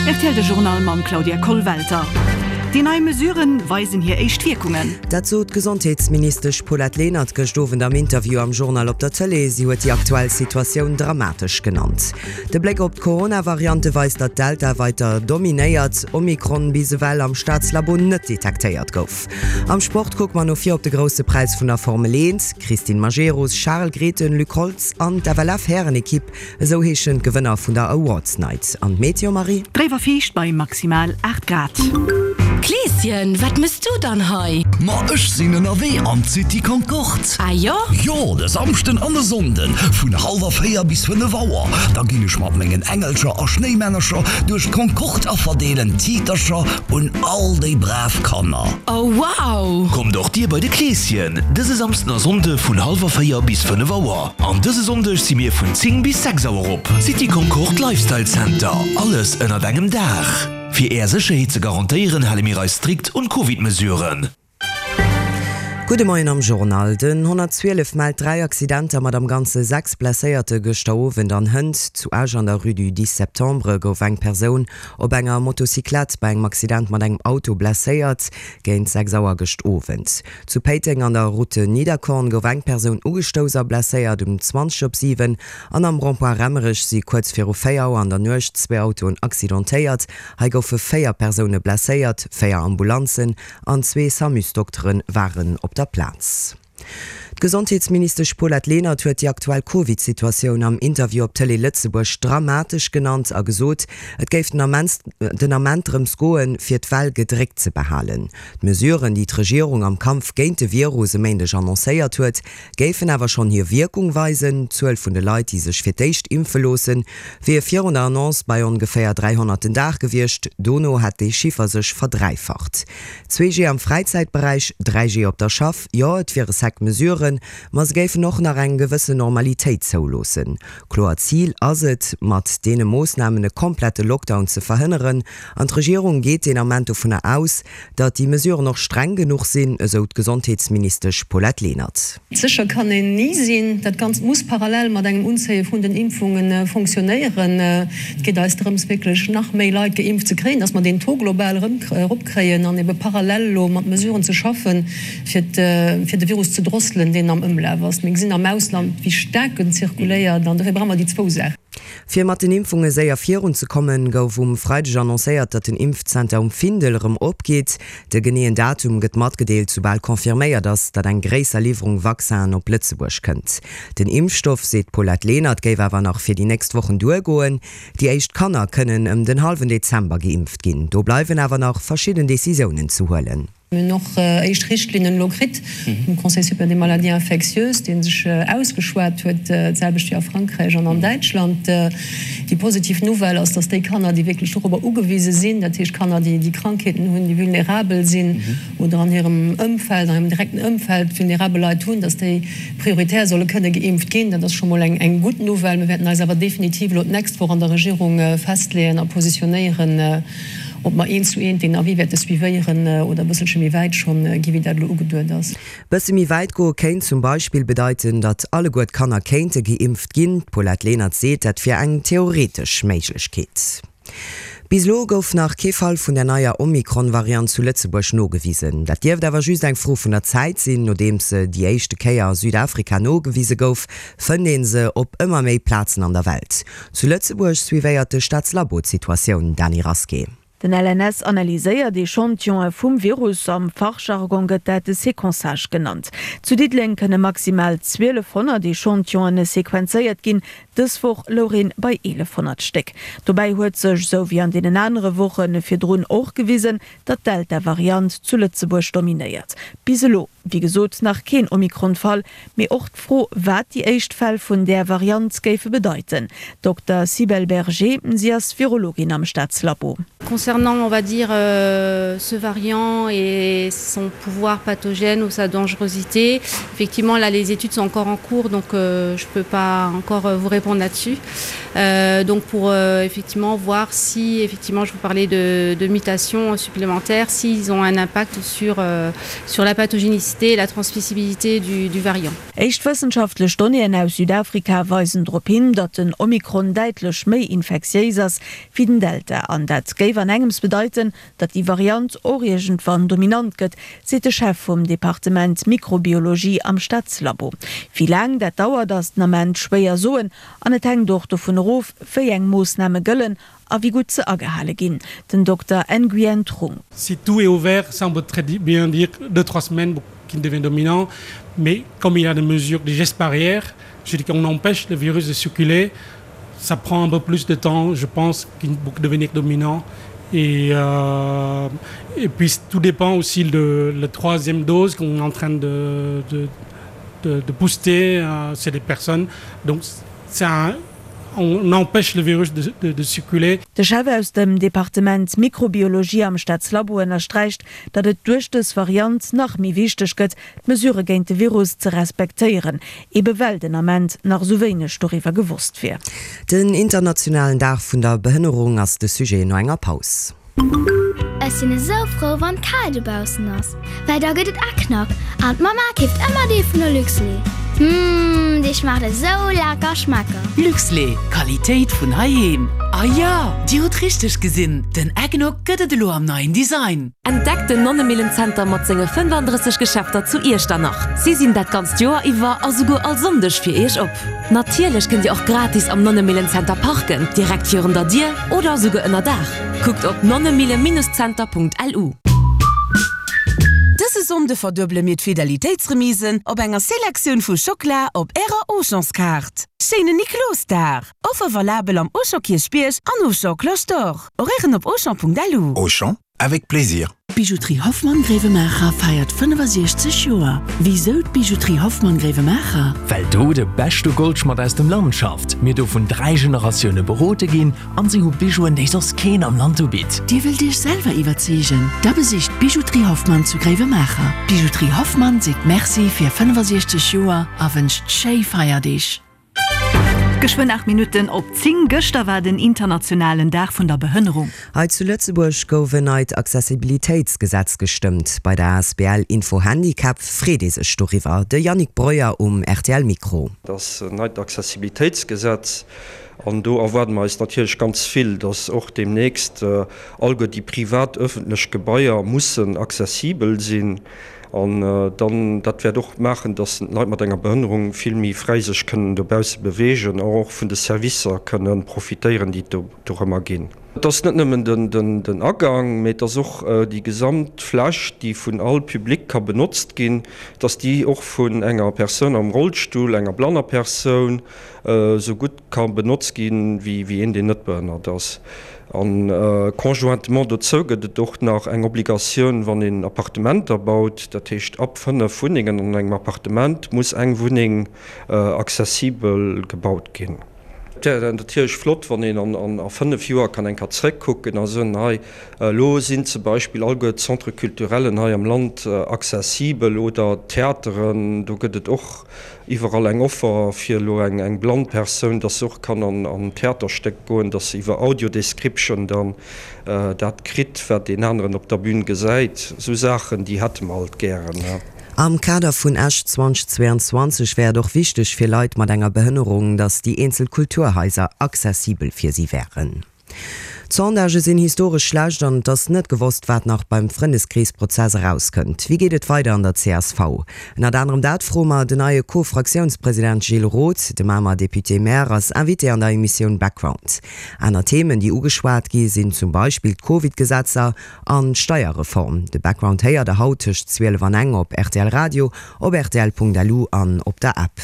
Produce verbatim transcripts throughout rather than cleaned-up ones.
R T L de Journal mam Claudia Kollwelter. Déi nei Mesuren weisen hir éischt Wierkungen. Dat sot d'Gesondheetsministesch Paulette Lenert gëscht Owend am Interview am Journal op der Tëlee. Si huet déi aktuell Situatioun dramatesch genannt. De Bléck op d'Corona-Variante weist, datt Delta weider dominéiert, Omikron bis ewell am Staatslabo net detektéiert gouf. Am Sport kucke mer no vir op de Grousse Präis vun der Formel eent. Christine Majerus, Charel Grethen, Luc Holtz an d'F L F-Härenekipp, esou heeschen d'Gewënner vun der Awards Night. An d'Meteo, Marie? Dréif a fiicht bei maximal aacht Grad. Kleeschen, wat mëss du dann hei? Ma ech sinn ënnerwee an d'City Concorde. Ah jo? Jo, de Samschden an de Sonnden vun hallwer véier bis fënnef Auer. Da ginn ech mat mengen Engelcher a Schnéimännercher duerch d'Concorde a verdeelen Tiitercher un all déi brav Kanner. Oh wow! Kommt och dir bei de Kleeschen dëse Samschden a Sonnde vun hallwer véier bis fënnef Auer. An dëse Sonndeg si mir vun zéng bis sechs Auer op. City Concorde Lifestyle Center. Alles ënnert engem Daach. Fir är Sécherheet ze garantéieren, hale mir eis strikt un d'Covid-Mesuren. Gudde Moien am Journal. Den honnertzwielef mellt dräi Accidenter mat am Ganze sechs Blesséierte gëschter Owend an hënt. Zu Esch an der Rue du dix septembre gouf eng Persoun op enger Motocyclette bei engem Accident mat engem Auto blesséiert, géint sechs Auer gëscht Owend. Zu Péiteng an der Route Niederkorn gouf eng Persoun ugestouss a blesséiert um zwanzeg op siwen an am Rond-point Raemerech si kuerz viru véier Auer an der Nuecht zwee Autoen accidentéiert. Hei goufe véier Persoune blesséiert, véier Ambulanzen an zwee SAMU-Dokteren waren op der Plaz. D'Gesondheetsministesch Paulette Lenert huet déi aktuell Covid-Situatioun am Interview op Tëlee Lëtzebuerg dramatesch genannt a gesot, et géif den Ament den Ament drëms goen, fir d'Well gedréckt ze behalen. D'Mesuren, déi d'Regierung am Kampf géint de Virus e Méindeg annoncéiert huet, géifen awer schonn hir Wierkung weisen. D'Zuel vun de Leit, déi sech fir d'éischt impfe loossen, wier virun der Annonce bei ongeféier dräihonnert den Dag gewiescht, dono hätt dee Chiffer sech verdräifacht. Zwee G am Fräizäitberäich, dräi G op der Schaff, jo, et wiere sec Mesuren, ma se géifen och nach eng gewëssen Normalitéit zouloossen. Kloert Zil ass et, mat deene Moossnamen e komplette Lockdown ze verhënneren an d'Regierung geet den Ament dovunner aus, datt déi Mesuren och streng genuch sinn, esou d'Gesondheetsministesch Paulette Lenert. Sécher kann een ni sinn. Dat Ganzt muss parallel mat engem Unzéie vun den Impfunge fonctionnéieren. Et geet eis drëms, wierklech nach méi Leit geimpft ze kréien, datt mer deen Taux global erëm eropkréien an ebe parallel elo mat Mesuren ze schaffen, fir de Virus ze drosselen, deen am Ëmlaf ass. Mir gesinn am Ausland, wéi staark en zirkuléiert an dofir brauche mer déi zwou Saachen. Fir mat den Impfunge séier virunzekommen, gouf um Freideg annoncéiert, datt den Impfzenter um Findel erëm opgeet. De geneeën Datum gëtt matgedeelt, soubal confirméiert ass, datt eng gréisser Liwwerung Vaccinen op Lëtzebuerg kënnt. Den Impfstoff, seet d'Paulette Lenert, géif awer nach fir déi nächst Wochen duergoen. Déi éischt Kanner kënnen ëm den hallwen Dezember geimpft ginn. Do bleiwen awer nach verschidden Decisiounen ze huelen. Mir hunn och éischt Richtlinnen elo kritt vum Conseil supérieur des maladies infectieuses, dee sech ausgeschwat huet, d'selwecht wéi a Frankräich an an Däitschland. Déi positiv Nouvelle ass, dass déi Kanner, déi wierklech dorobber ugewise sinn, dat heescht Kanner, déi déi Krankheeten hunn, déi vulnerabel sinn oder an hirem Ëmfeld, an hirem direkten Ëmfeld vulnerabel Leit hunn, dass déi prioritär solle kënne geimpft ginn. Dat ass scho mol eng eng gutt Nouvelle. Mir wäerten eis awer definitiv elo d'nächst Woch an der Regierung festleeën a positionéieren, ob mer eent zu eent deen Avis wäerte suivéieren oder e bësselche méi wäit schonn gi wéi dat elo ugeduet ass. Bësse méi wäit goe kéint zum Beispill bedeiten, datt alleguer d'Kanner kéinte geimpft ginn. D'Paulette Lenert seet, dat wier eng theoretesch Méiglechkeet. Bis elo gouf nach kee Fall vun der neier Omikron-Variant zu Lëtzebuerg nogewisen. Dat dierft awer just eng Fro vun der Zäit sinn. Nodeems se déi éischte Kéier a Südafrika nogewise gouf, fënnt ee se op ëmmer méi Plazen an der Welt. Zu Lëtzebuerg suivéiert de Staatslabo d'Situatioun, Dany Rasqué. Den L N S analyséiert Echantillonë vum Virus, am Fachjargon gëtt dat de Séquençage genannt. Zu Diddeleng kënne maximal zwielefhonnert Echantillonë sequenzéiert ginn, dës Woch louch een bei eelefhonnert Stéck. Dobäi huet sech, sou wéi an deenen anere Woche virdrun och gewisen, datt d'Delta-Variant zu Lëtzebuerg dominéiert. Bis elo, wéi gesot, nach keen Omikron-Fall, mee och d'Fro, wat déi éischt Fäll vun där Variant géife bedeiten. Dokter Sibelle Berger, si ass Virologin am Staatslabo. Concernant on va dire euh, ce variant et son pouvoir pathogène ou sa dangerosité, effectivement là les études sont encore en cours donc euh, je peux pas encore euh, vous répondre là-dessus. Euh, donc pour euh, effectivement voir si effectivement je vous parlais de, de mutations supplémentaires, s'ils ont un impact sur, euh, sur la pathogénicité et la transmissibilité du, du variant. Éischt wëssenschaftlech Donnéeën aus Südafrika weisen drop hin, datt den Omikron däitlech méi infektiéis ass wéi den Delta. An dat géif an engems bedeiten, datt déi Variant och iergendwann dominant gëtt, seet de Chef vum Departement Mikrobiologie am Staatslabo. Wéi laang dat dauert, ass den Ament schwéier soen an et hänkt och dovun erof, wéi eng Moossname gëllen a wéi gutt se agehale ginn. Den Dokter Nguyen Trung. Si tout est ouvert, ça on peut très bien dire deux trois semaines qu'il devient dominant, mais comme il y a des mesures, des gestes barrières, je dis qu'on empêche le virus de circuler, ça prend un peu plus de temps, je pense, qu'il pour devenir dominant. Et, euh, et puis tout dépend aussi de la troisième dose qu'on est en train de, de, de, de booster euh, c'est des personnes. Donc c'est un, on empêche le virus de, de, de circuler. De Chef aus dem Departement Mikrobiologie am Staatslabo ënnersträicht, datt et duerch dës Variant nach méi wichteg gëtt, d'Mesurë géint de Virus ze respektéieren, ebe well den Ament nach esou wéineg doriwwer gewosst wier. Den internationalen Dag vun der Behënnerung ass de Sujet no enger Paus. Ech sinn esou frou wann kal dobaussen ass, well da gëtt et Eggnog an d'Mama keeft ëmmer dee vun der Luxlait. Mmh, dee schmaacht esou lecker schmecker. Luxlait, Qualitéit vun heiheem. Ah ja, Dir hutt richteg gesinn, den Eggnog gëtt et elo am neien Design. Entdeckt den Nonnemillenzenter mat senge fënnefandrësseg Geschäfter zu Iechternach. Si sinn dat ganzt Joer iwwer a souguer all Sonndeg fir Iech op. Natierlech kënnt Dir och gratis am Nonnemillenzenter parken, direkt virun der Dier oder souguer ënner Daach. Kuckt op nonnemille-center.lu. Dëse Sonnde verduebele mir d'Fidelitéitsremisen op enger Selektioun vu Schockela op Ärer Auchanskaart. Schéinen Niklosdag! Offer valabel am Auchan Kierchbierg an Auchan Cloche d'Or. Horairen op auchan.lu. Auchan, avec plaisir. D'Bijouterie Hoffmann Gréiwemaacher feiert fënnefasiechzeg Joer. Wisou d'Bijouterie Hoffmann Gréiwemaacher? Well do de beschte Goldschmadd aus dem Land schafft, mir do vun dräi Generatioune berode ginn an si hu Bijouen, déi soss keen am Land ubitt. Dir wëllt Iech selwer iwwerzeegen? Da besicht d'Bijouterie Hoffmann zu Gréiwemaacher. D'Bijouterie Hoffmann seet Merci fir fënnefasiechzeg Joer a wënscht schéi Feierdeeg. Geschwënn aacht Minutten op zéng. Gëschter war den internationalen Dag vun der Behënnerung. Hei zu Lëtzebuerg gouf en neit Accessibilitéitsgesetz gestëmmt. Bei der Asbl Info Handicap freet ee sech doriwwer. De Yannick Breuer um rtl Mikro. Dat ass en neit Accessibilitéitsgesetz an do erwaarde mer eis natierlech ganz vill, dass och deemnächst alleguer déi privat, ëffentlech Gebaier mussen accessibel sinn. An dann, dat wäert och maachen, dass d'Leit mat enger Behënnerung vill méi fräi sech kënnen dobausse beweegen a och vun de Servicer kënne profitéieren, déi et do dorëmmer ginn. Et ass net nëmmen den Agang, mee et ass och déi gesamt Fläch, déi vun all Public ka benotzt ginn, dass déi och vun enger Persoun am Rollstull, enger blanner Persoun, esou gutt ka benotzt ginn, wéi een, deen net behënnert ass. A conjointement dozou gëtt et och nach eng Obligatioun, wann een Appartementer baut, dat heescht ab fënnef Wunnengen an engem Appartement muss eng Wunneng accessibel gebaut ginn. Et wär natierlech flott, wann een a fënnef Joer kann eng Kéier zréckkucken a soen, hei elo sinn zum Beispill alleguer d'Centres culturellen hei am Land accessibel oder d'Theateren, do gëtt et och iwwerall eng Offer fir elo eng blann Persoun, dass se och kann an en Theaterstéck goen, dass se iwwer Audiodescription dann dat kritt, wat deen aneren op der Bühn gesäit. Esou Saachen, déi hätte mer alt gären. Am Kader vun Esch zweitausendzweiundzwanzeg wär et och wichteg fir Leit mat enger Behënnerung, datt déi eenzel Kulturhaiser accessibel fir si wären. D'Sondagë sinn historesch schlecht an et ass net gewosst, wat nach beim Frëndeskreesprozess erauskënnt. Wéi geet et weider an der C S V? Ënnert anerem dat froe mer den neie Co-Fraktiounspresident Gilles Roth. De Mamer Député-Maire ass Invité an der Emissioun Background. Aner Themen, déi ugeschwat gi sinn zum Beispill d'Covid-Gesetzer an d'Steierreform. De Background héiert der haut tëscht zwielef an eng op R T L Radio, op rtl Punkt lu an op der App.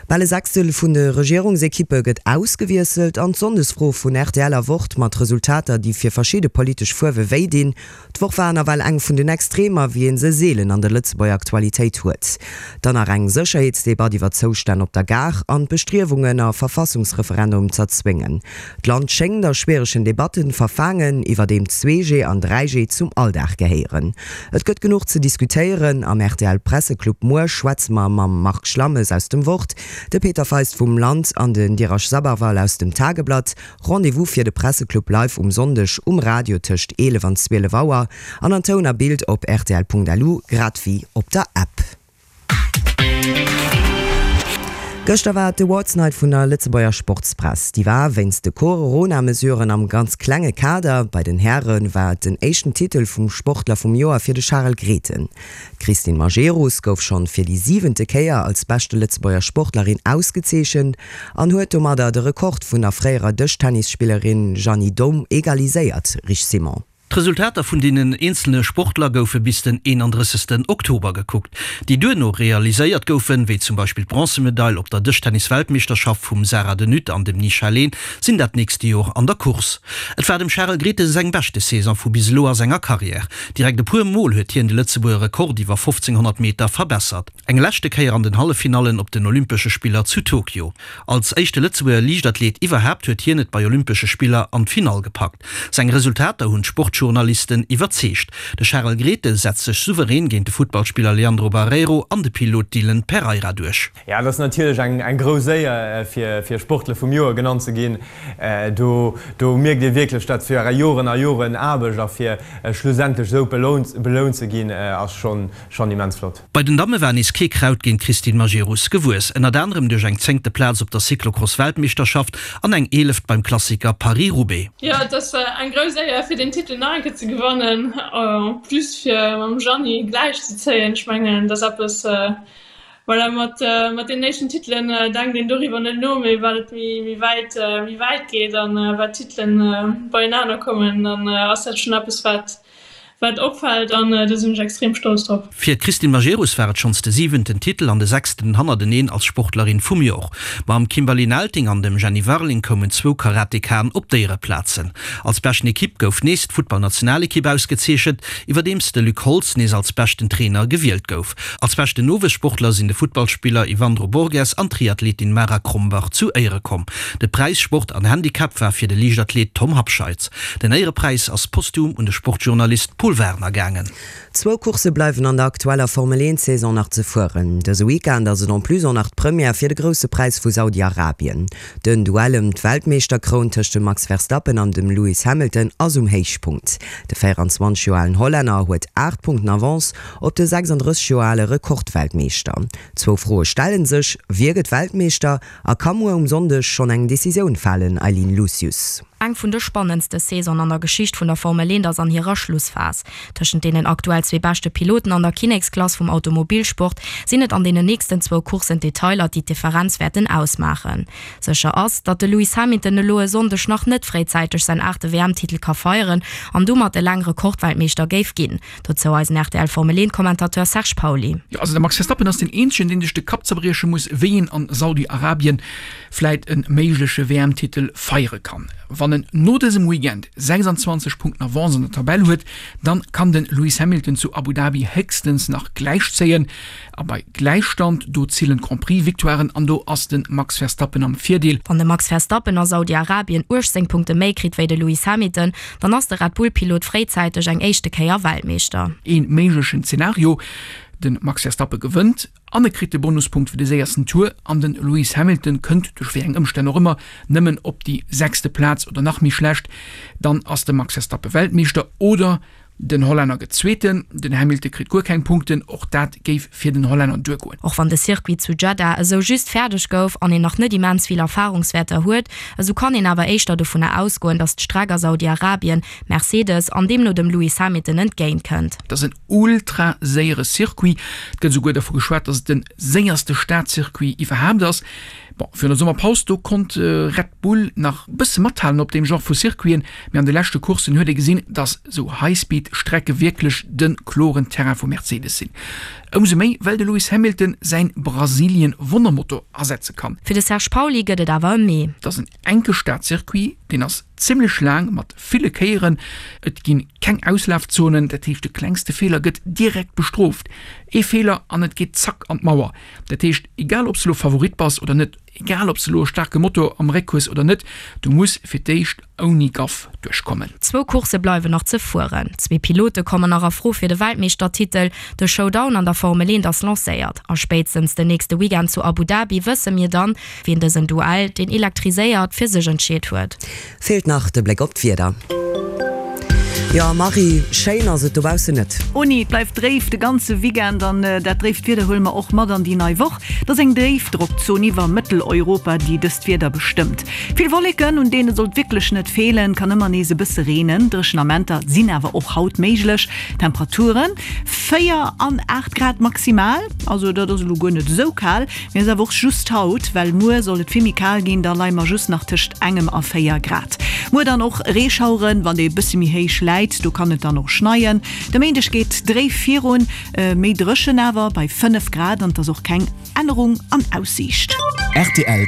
Bal e Sechstel vun de Regierungsekippe gëtt ausgewiesselt an d'Sonndesfro vun rtl a Wort mat Resultater, déi fir verschidde politesch Fuerwe wéi dinn. D'Woch war nawell eng vun den Extremer, wéi ee se seelen an der Lëtzebuerger Aktualitéit huet. Dann nach eng Sécherheetsdebatt iwwer d'Zoustänn op der Gare an d'Bestriewungen, e Verfassungsreferendum z'erzwéngen. D'Land schéngt a schwieregen Debatten verfaangen, iwwerdeem zwee G an dräi G zum Alldag gehéieren. Et gëtt genuch ze diskutéieren. Am rtl Presseclub muer schwätze mer mam Marc Schlammes aus dem Wort, de Peter Feist vum Land an den Dheeraj Sabharwal aus dem Tageblatt. Rendez-vous fir de Presseclub live um Sonndeg um Radio tëscht eelef an zwielef Auer an an Toun a Bild op rtl.lu grad wéi op der App. Gëschter war d'Awards Night vun der Lëtzebuerger Sportspress. Déi war wéinst de Coronamesuren am ganz klenge Kader. Bei den Häre war et den éischten Titel vum Sportler vum Joer fir de Charel Grethen. D'Christine Majerus gouf schonn fir déi siwente Kéier als beschte Lëtzebuerger Sportlerin ausgezeechent an huet domadder de Rekord vun der fréierer Dëschtennisspillerin Jeanny Daum egaliséiert, Rich Simon. D'Resultater vun deenen eenzelne Sportler goufe bis den eenandrëssegsten Oktober gekuckt. Déi duerno realiséiert goufen, wéi zum Beispill d'Bronzemedail op der Dëschtennis-Weltmeeschterschaft vum Sarah de Nutte an dem Nisha Leen, sinn dat nächste Joer an der Course. Et war dem Charel Grethen seng beschte Saison vu bis elo a senger Karriär. Direkt e puer Mol huet hien de Lëtzebuerger Rekord iwwer fofzénghonnert Meter verbessert. Eng leschte Kéier an den Halleffinallen op den Olympesche Spiller zu Tokio. Als éischte Lëtzebuerger Liichtathlet iwwerhaapt huet hien et bei Olympesche Spiller an d'Finall gepackt. Seng Resultater hunn d'Sportjournalisten iwwerzeegt. De Charel Grethen setzt sech souverän géint de Futtballspiller Leandro Barreiro an de Pilot Dylan Pereira duerch. Jo, et ass natierlech eng grouss Éier fir Sportler vum Joer genannt ze ginn. Do do mierkt ee wierklech, dat fir Joren a Joren Aarbecht a fir schlussendlech esou belount ze ginn, ass schonn immens flott. Bei den Damme war nees kee Kraut géint d'Christine Majerus gewuess, ënnert anerem duerch eng zéngte Plaz op der Cyclocross-Weltmeeschterschaft an eng eeleft beim Klassiker Paris-Roubaix. Jo, et ass eng grouss Éier fir den Titel nach eng Kéier ze gewannen, en plus fir mam Jeanny gläich ze zéien. Ech mengen, dat ass eppes, voilà, mat mat den éischten Titelen denkt een doriwwer net no, mee wat et méi méi wäit méi wäit geet an wat d'Titelen beienaner kommen, dann ass dat schonn eppes, wat wat opfält an do sinn ech extrem stolz drop. Fir d'Christine Majerus war et schonns de siwenten Titel an de sechsten hannerteneen als Sportlerin vum Jor. Mam Kimberly Nelting an dem Jenny Warling koumen zwou Karatekaen op d'Éiereplazen. Als beschten Ekipp gouf nees d'Futtballnationalekipp ausgezeechent, iwwerdeems de Luc Holtz nees als beschten Trainer gewielt gouf. Als beschten Nowuessportler sinn de Futtballspiller Yvandro Borges an d'Triathletin Mara Krombach zu Éiere komm. De Präis Sport an Handicap war fir de Liichtathlet Tom Habscheid. Den Éierepräis ass posthum un de Sportjournalist Pol Werner gaangen. Zwou Coursse bleiwen an der aktueller Formel eent Saison nach ze fueren. Dëse Weekend ass et en plus och nach d'Première fir de Grousse Präis vu Saudi-Arabien. Den Duell ëm d'Weltmeeschterkroun tëscht dem Max Verstappen an dem Lewis Hamilton ass um Héichpunkt. De véieranzwanzeg Joer alen Hollänner huet aacht Punkten Avance op de sechsanddrësseg Joer ale Rekordweltmeeschter. Zwou Froe stelle sech, Wie gëtt Weltmeeschter a ka muer um Sonndeg schonn eng Decisioun falen, Eileen Lucius? Eng vun de spannendste Saisonen an der Geschicht vun der Formel eent ass an hirer Schlussphas. Tëschent deenen aktuell zwee beschte Piloten an der Kinneksklass vum Automobilsport sinn et an deenen nächsten zwou Courssen d'Detailer, déi d'Differenz wäerten ausmaachen. Sécher ass, datt de Lewis Hamilton elo e Sonndeg nach net fréizäiteg säin aachte W M-Titel ka feieren an domat eleng Rekordweltmeeschter géif ginn. Dozou eisen R T L Formel eent Kommentateur Serge Pauly. Jo, also de Max Verstappen ass deen eenzegen, deen sech de Kapp zerbrieche muss, wéi een an Saudi-Arabien vläit e méigleche W M-Titel feiere kann. Wann en no dësem Weekend sechsanzwanzeg Punkten Avance an der Tabell huet, dann kann de Lewis Hamilton zu Abu Dhabi héchstens nach gläichzéien. A bei Gläichstand, do zielen d'Grand-Prix-Victoiren an do ass de Max Verstappen am Virdeel. Wann de Max Verstappen a Saudi-Arabien uechtzéng Punkte méi kritt wéi de Lewis Hamilton, dann ass de Red Bull-Pilot fréizäiteg eng éischte Kéier Weltmeeschter. Ee méiglechen Zenario, De Max Verstappen gewënnt an e kritt de Bonuspunkt fir de séiersten Tour an de Lewis Hamilton kënnt, duerch wéi eng Ëmstänn och ëmmer, nëmmen op déi sechste Plaz oder nach méi schlecht. Dann ass de Max Verstappen Weltmeeschter oder den Hollänner gëtt Zweeten, den Hamilton kritt guer keng Punkten, och dat géif fir den Hollänner duergoen. Och wann de Circuit zu Jeddah esou just fäerdeg gouf an een nach net immens vill Erfarungswäerter huet, esou kann een awer éischter dovunner ausgoen, datt d'Streck a Saudi-Arabien Mercedes an deemno dem Lewis Hamilton entgéint kënnt. Et ass en ultra séiere Circuit, et gëtt esouguer dervu geschwat, datt et de séierste Stadcircuit iwwerhaapt ass. Bon, virun der Summerpaus, do konnt Red Bull nach bësse mathalen op deem Genre vu Circuiten, mee an de leschte Courssen huet ee gesinn, dass sou High-Speed-Strecke wierklech de kloren Terrain vu Mercedes sinn. Ëmsou méi, well de Lewis Hamilton säin Brasilien-Wonnermotor asetze kann. Fir de Serge Pauly gëtt et awer e Mee. Et ass en enke Stad-Circuit, deen ass zimmlech laang mat ville Kéieren. Et ginn keng Auslafzonen, dat heescht de klengste Feeler gëtt direkt bestrooft. Ee Feeler an et geet zack an d'Mauer. Dat heescht, egal ob s de elo Favorit bass oder net, egal ob s de elo e staarke Motor am Réck hues oder net, du muss fir d'éischt ouni Gaff duerchkommen. Zwou Coursse bleiwen nach ze fueren. Zwee Pilote kommen nach a Fro fir de Weltmeeschtertitel. De Showdown an der Formel eent ass lancéiert a spéitstens den nächste Weekend zu Abu Dhabi wësse mir dann, wien dësen Duell, deen elektriséiert, fir sech entscheet huet. Feelt nach de Bléck op d'Wieder. Jo Marie, schéin ass et dobaussen net. Oh nee, et bleift dréif de ganze Weekend an dat dréift Wieder huele mer och mat an déi nei Woch. Et ass eng Déifdrockzon iwwer Mëtteleuropa, déi dëst Wieder bestëmmt. Vill Wolleken, un deene sollt wierklech net feelen, kann ëmmer nees e bësse reenen. Dréchen Amenter sinn awer och haut méiglech. Temperaturen, véier an aacht Grad maximal, also dat ass elo guer net esou kal, mee ass awer och just haut, well muer soll et vill méi kal ginn, da leie mer just nach tëscht engem a véier Grad. Muer dann och Reeschaueren, wann ee bësse méi héich läit, do kann et dann och schneien. De Méindeg geet dréif virun, méi dréchen awer bei fënnef Grad an et ass och keng Ännerung an Aussiicht. Rtl.